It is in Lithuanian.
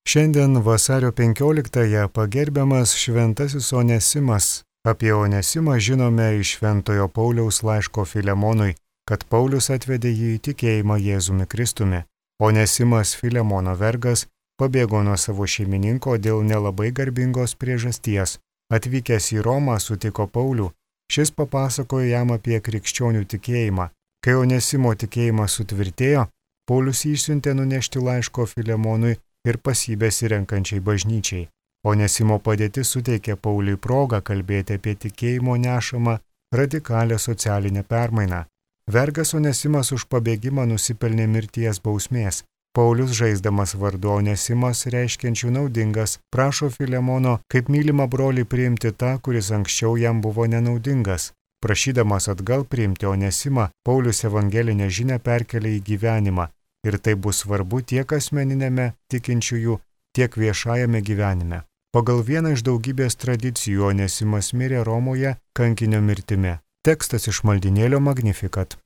Šiandien vasario 15-ąją pagerbiamas šventasis Onesimas. Apie Onesimą žinome iš Šventojo Pauliaus laiško Filemonui, kad Paulius atvedė jį į tikėjimą Jėzumi Kristumi. Onesimas, Filemono vergas, pabėgo nuo savo šeimininko dėl nelabai garbingos priežasties. Atvykęs į Romą sutiko Paulių. Šis papasakojo jam apie krikščionių tikėjimą. Kai Onesimo tikėjimas sutvirtėjo, Paulius jį išsiuntė nunešti laiško Filemonui ir pas jį besirenkančiai bažnyčiai. Onesimo padėtis suteikė Pauliui progą kalbėti apie tikėjimo nešamą radikalią socialinę permainą. Vergas Onesimas už pabėgimą nusipelnė mirties bausmės. Paulius, žaisdamas vardu Onesimas, reiškiančių naudingas, prašo Filemono kaip mylimą brolį priimti tą, kuris anksčiau jam buvo nenaudingas. Prašydamas atgal priimti Onesimą, Paulius evangelinę žinią perkelia į gyvenimą. Ir tai bus svarbu tiek asmeninėme tikinčiųjų, tiek viešajame gyvenime. Pagal vieną iš daugybės tradicijų Onesimas mirė Romoje kankinio mirtimi. Tekstas iš maldynėlio Magnificat.